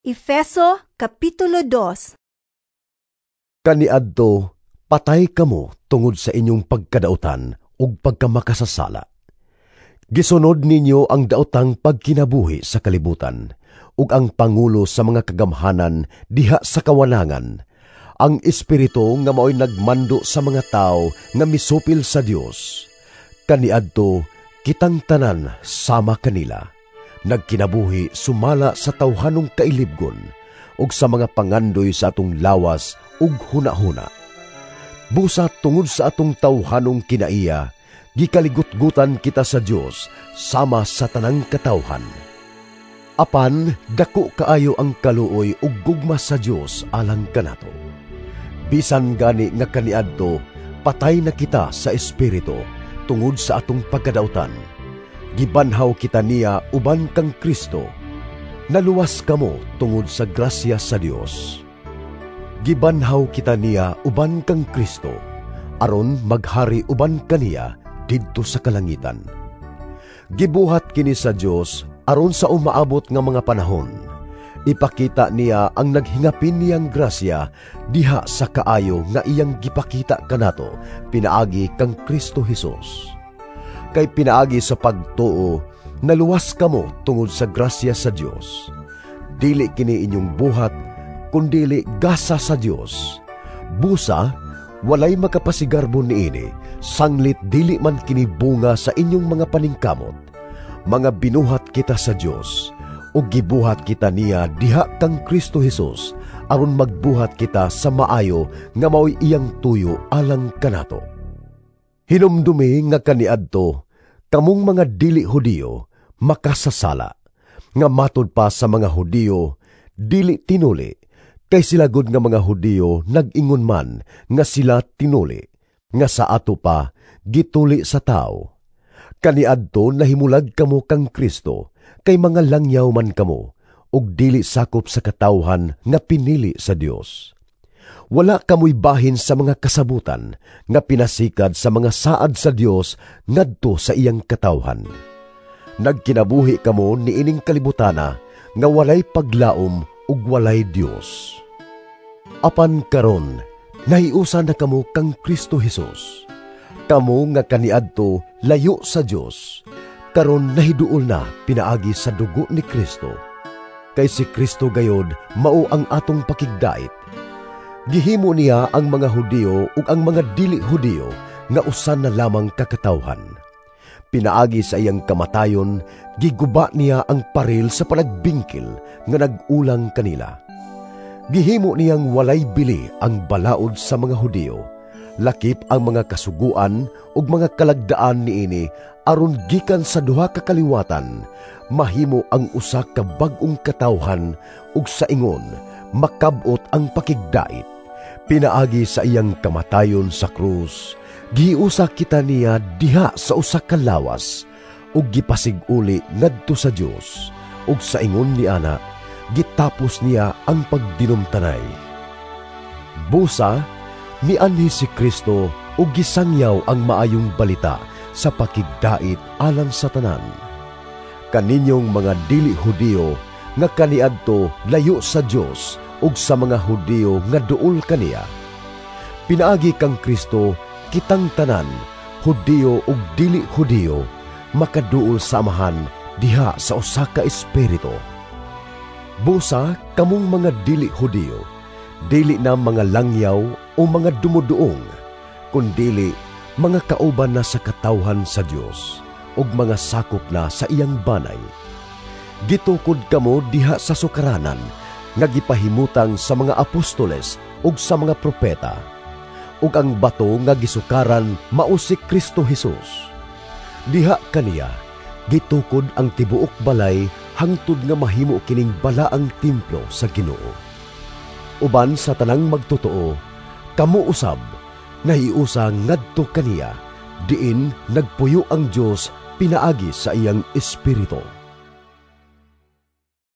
Efeso Kapitulo 2. Kaniadto, patay kamo tungod sa inyong pagkadautan ug pagkamakasasala. Gisunod ninyo ang daotang pagkinabuhi sa kalibutan ug ang pangulo sa mga kagamhanan diha sa kawanangan, ang espiritu nga maoy nagmando sa mga tawo nga misupil sa Dios. Kaniadto, kitang tanan sama kanila nagkinabuhi sumala sa tawhanong kailibgon ug sa mga pangandoy sa atong lawas ug hunahuna. Busa tungod sa atong tawhanong kinaiya, gikaligutgutan kita sa Dios sama sa tanang katawhan. Apan dako kaayo ang kaluoy ug gugma sa Dios alang kanato. Bisan gani nga kaniadto patay na kita sa espiritu tungod sa atong pagkadautan, gibanhaw kita niya uban kang Kristo. Naluwas kamo tungod sa grasya sa Dios. Gibanhaw kita niya uban kang Kristo, aron maghari uban kaniya didto sa kalangitan. Gibuhat kini sa Dios aron sa umaabot nga mga panahon, ipakita niya ang naghingapin niyang grasya diha sa kaayo nga iyang gipakita kanato pinaagi kang Kristo Hesus. Kay pinaagi sa pagtuo, naluwas kamo tungod sa grasya sa Dios. Dili kini inyong buhat, kundili gasa sa Dios. Busa, walay makapasigarbo niini, sanglit dili man kini bunga sa inyong mga paningkamot. Mga binuhat kita sa Dios, ug gibuhat kita niya diha kang Kristo Hesus, aron magbuhat kita sa maayo nga maoy iyang tuyo alang kanato. Hinumdumi nga kaniadto, kamong mga dili Hudiyo, makasasala, nga matud pa sa mga Hudiyo, dili tinuli, kay sila gud nga mga Hudiyo nag-ingon man nga sila tinuli, nga sa ato pa gituli sa tao. Kaniadto nahimulag kamo kang Kristo, kay mga langyaw man kamo, ug dili sakop sa katawhan nga pinili sa Dios. Wala kamoy bahin sa mga kasabutan nga pinasikad sa mga saad sa Dios ngadto sa iyang katawhan. Nagkinabuhi kamo niining kalibutana nga walay paglaom ug walay Dios. Apan karon, nahiusa na kamo kang Kristo Hesus. Kamo nga kaniadto layo sa Dios, karon nahiduol na pinaagi sa dugo ni Kristo. Kay si Kristo gayod mao ang atong pakigdait. Gihimo niya ang mga Hudiyo ug ang mga dili Hudiyo nga usa na lamang kakatawhan. Pinaagi sa iyang kamatayon, giguba niya ang paril sa panagbingkil nga nag-ulang kanila. Gihimo niyang walay bili ang balaod sa mga Hudiyo, lakip ang mga kasuguan ug mga kalagdaan niini aron gikan sa duha ka kaliwatan mahimo ang usa ka bag-ong katawhan ug sa ingon makab-ot ang pakigdait. Pinaagi sa iyang kamatayon sa krus, giusa kita niya diha sa usa ka lawas ug gipasig-uli ngadto sa Dios, ug sa ingon ni ana gitapos niya ang pagdinumtanay. Busa, mianhi si Kristo ug gisangyaw ang maayong balita sa pakigdait alang sa tanan. Kaninyong mga dili Hudiyo nga kaniadto layo sa Dios ug sa mga Hudiyo nga duol kaniya. Pinaagi kang Kristo, kitang tanan, Hudiyo ug dili Hudiyo, makaduol sa Amahan diha sa usa ka espiritu. Busa kamong mga dili Hudiyo, dili na mga langyaw o mga dumuduong, kundili mga kauban na sa katawhan sa Dios ug mga sakop na sa iyang banay. Gitukod kamo diha sa sukaranan nga gipahimutang sa mga apostoles ug sa mga propeta, ug ang bato nga gisukaran mao si Kristo Hesus. Diha kaniya gitukod ang tibuok balay hangtod nga mahimo kining balaang templo sa Ginoo. Uban sa tanang magtotoo, kamo usab nahiusa ngadto kaniya, diin nagpuyo ang Dios pinaagi sa iyang espiritu.